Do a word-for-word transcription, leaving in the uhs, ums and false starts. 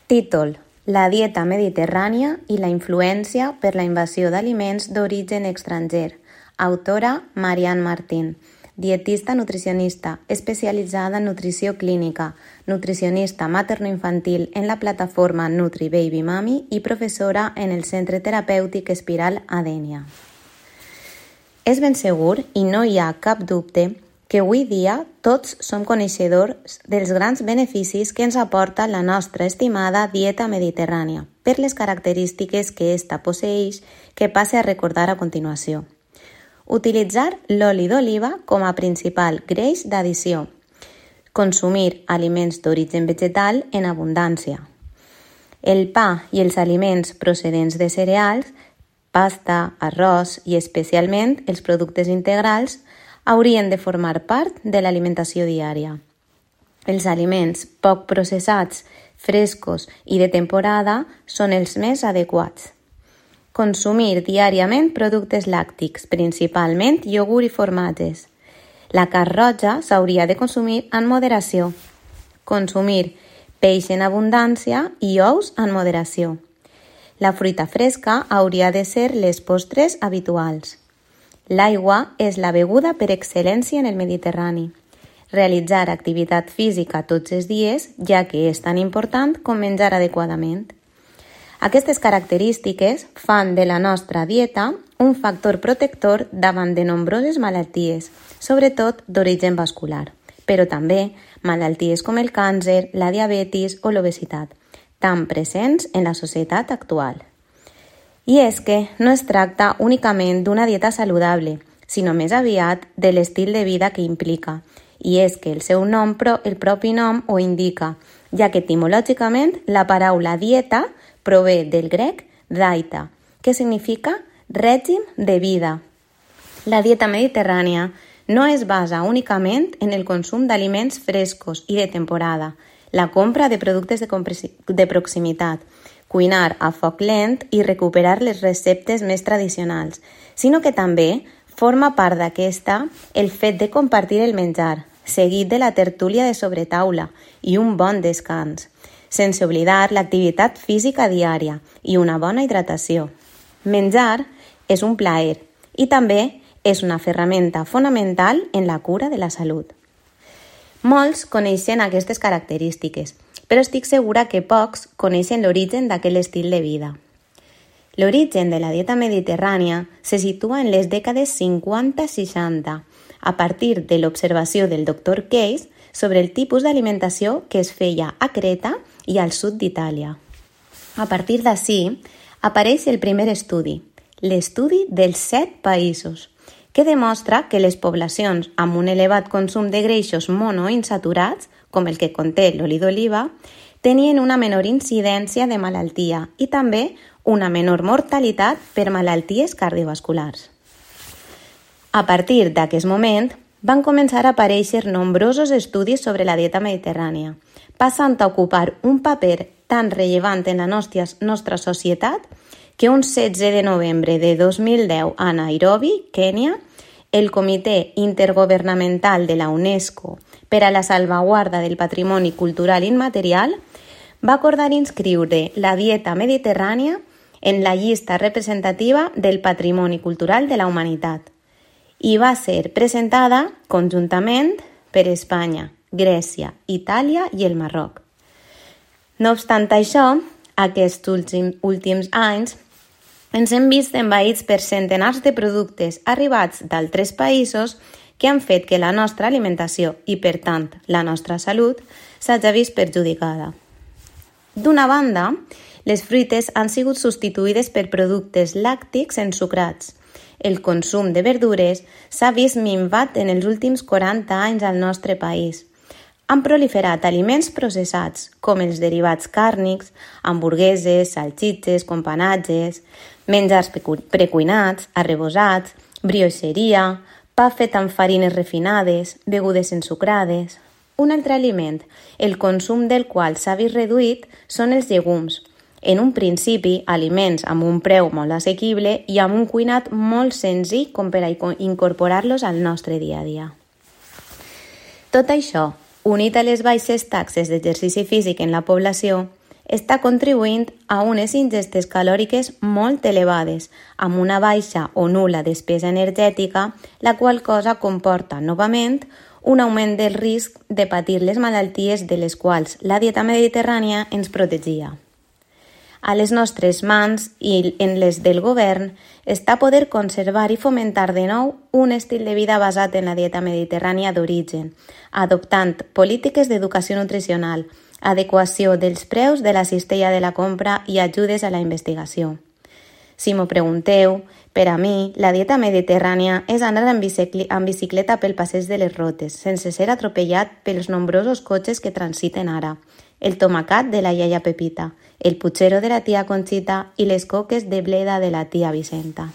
Títol: La dieta mediterrània i la influència per la invasió d'aliments d'origen estranger. Autora Marian Martín. Dietista nutricionista, especialitzada en nutrició clínica, nutricionista materno-infantil en la plataforma Nutri Baby Mami i professora en el Centre Terapèutic Espiral a Dénia. És ben segur, i no hi ha cap dubte, que avui dia tots som coneixedors dels grans beneficis que ens aporta la nostra estimada dieta mediterrània, per les característiques que ésta posseeix, que passe a recordar a continuació. Utilitzar l'oli d'oliva com a principal greix d'addició. Consumir aliments d'origen vegetal en abundància. El pa i els aliments procedents de cereals, pasta, arròs i especialment els productes integrals haurien de formar part de l'alimentació diària. Els aliments poc processats, frescos i de temporada són els més adequats. Consumir diàriament productes làctics, principalment iogurt i formatges. La carn roja s'hauria de consumir en moderació. Consumir peix en abundància i ous en moderació. La fruita fresca hauria de ser les postres habituals. L'aigua és la beguda per excel·lència en el Mediterrani. Realitzar activitat física tots els dies, ja que és tan important com menjar adequadament. Aquestes característiques fan de la nostra dieta un factor protector davant de nombroses malalties, sobretot d'origen vascular, però també malalties com el càncer, la diabetis o l'obesitat, tan presents en la societat actual. I és que no es tracta únicament d'una dieta saludable, sinó més aviat de l'estil de vida que implica, i és que el seu nom, el propi nom, ho indica, ja que etimològicament la paraula dieta prové del grec daita, que significa règim de vida. La dieta mediterrània no es basa únicament en el consum d'aliments frescos i de temporada, la compra de productes de, de proximitat, cuinar a foc lent i recuperar les receptes més tradicionals, sinó que també forma part d'aquesta el fet de compartir el menjar, seguit de la tertúlia de sobretaula i un bon descans, sense oblidar l'activitat física diària i una bona hidratació. Menjar és un plaer i també és una ferramenta fonamental en la cura de la salut. Molts coneixen aquestes característiques, però estic segura que pocs coneixen l'origen d'aquest estil de vida. L'origen de la dieta mediterrània se situa en les dècades cinquanta seixanta, a partir de l'observació del doctor Case sobre el tipus d'alimentació que es feia a Creta i al sud d'Itàlia. A partir d'ací, apareix el primer estudi, l'estudi dels set països, que demostra que les poblacions amb un elevat consum de greixos monoinsaturats, com el que conté l'oli d'oliva, tenien una menor incidència de malaltia i també una menor mortalitat per malalties cardiovasculars. A partir d'aquest moment, van començar a aparèixer nombrosos estudis sobre la dieta mediterrània, passant a ocupar un paper tan rellevant en la nostra, nostra societat que un setze de novembre de dos mil deu a Nairobi, Kènia, el Comitè Intergovernamental de la UNESCO per a la salvaguarda del patrimoni cultural immaterial va acordar inscriure la dieta mediterrània en la llista representativa del patrimoni cultural de la humanitat i va ser presentada conjuntament per Espanya, Grècia, Itàlia i el Marroc. No obstant això, aquests últims anys ens hem vist envaïts per centenars de productes arribats d'altres països que han fet que la nostra alimentació i, per tant, la nostra salut s'hagi vist perjudicada. D'una banda, les fruites han sigut substituïdes per productes làctics ensucrats. El consum de verdures s'ha vist minvat en els últims quaranta anys al nostre país. Han proliferat aliments processats, com els derivats càrnics, hamburgueses, salxitxes, companatges, menjars precuinats, arrebossats, brioixeria, pa fet amb farines refinades, begudes ensucrades. Un altre aliment, el consum del qual s'ha vist reduït, són els llegums. En un principi, aliments amb un preu molt assequible i amb un cuinat molt senzill com per a incorporar-los al nostre dia a dia. Tot això, unit a les baixes taxes d'exercici físic en la població, està contribuint a unes ingestes calòriques molt elevades, amb una baixa o nul·la despesa energètica, la qual cosa comporta, novament, un augment del risc de patir les malalties de les quals la dieta mediterrània ens protegia. A les nostres mans i en les del govern està poder conservar i fomentar de nou un estil de vida basat en la dieta mediterrània d'origen, adoptant polítiques d'educació nutricional, adequació dels preus de la cistella de la compra i ajudes a la investigació. Si m'ho pregunteu, per a mi, la dieta mediterrània és anar en bicicleta pel passeig de les Rotes, sense ser atropellat pels nombrosos cotxes que transiten ara, el tomacat de la iaia Pepita, el putxero de la tia Conxita i les coques de bleda de la tia Vicenta.